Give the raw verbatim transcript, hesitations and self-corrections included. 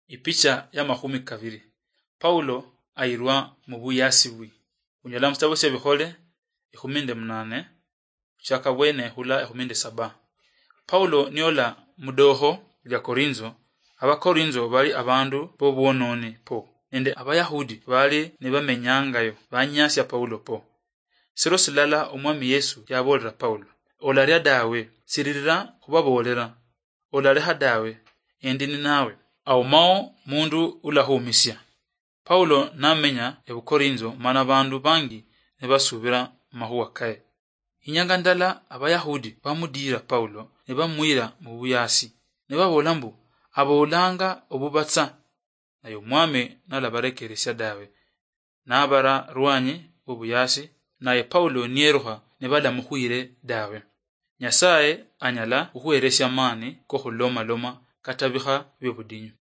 Ipicha ya makhumi kabiri. Paulo ayirwa mu buyasi bwi. Unyola mu sitabo sya Bikhole ikhumi nde munane, khuchaka bwene hula ikhumi nde saba. Paulo niola mudoho lya Korinzo, Abakorinzo bali abandu b'obwononi po, nende Abayahudi bali nibamenyangayo banyasia Paulo po. Siro silala Omwami Yesu yaboolera Paulo, "Olaria dawe, siririra khubaboolera, olaleha dawe, endi ninawe." Aumao mundu ulahumisia. Paulo namenya ebukorinzo mana bandu bangi nibasubira mahuwa kaye. Inyanga ndala Abayahudi bamudiira Paulo nibamwira mu buyasi, nibabola mbu, "Aboolanga obubatsa, naye Omwami nalabarekeresia dawe." Nabara rwanyi obuyasi, naye Paulo niyerukha nibalamukhwire dawe. Nyasaye anyala khukhweresia amani kokhulomaloma kata bikha biobudinyu.